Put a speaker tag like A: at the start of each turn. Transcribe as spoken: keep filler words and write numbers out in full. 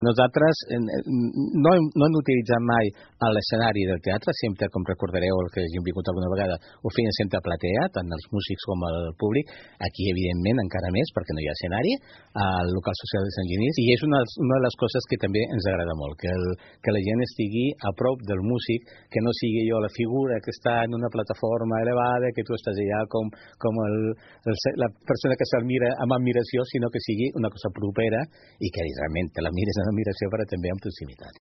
A: Nosaltres no hem, no hem utilitzat mai l'escenari del teatre, sempre, com recordareu, el que hagin vingut alguna vegada, ho feien sempre a platea, tant els músics com el públic. Aquí, evidentment, encara més, perquè no hi ha escenari, al local social de Sant Genís, i és una, una de les coses que també ens agrada molt, que, el, que la gent estigui a prop del músic, que no sigui jo la figura que està en una plataforma elevada, que tu estàs allà com, com el, el, la persona que se'l mira amb admiració, sinó que sigui una cosa propera i que realment te la mires amb admiració, però també amb proximitat.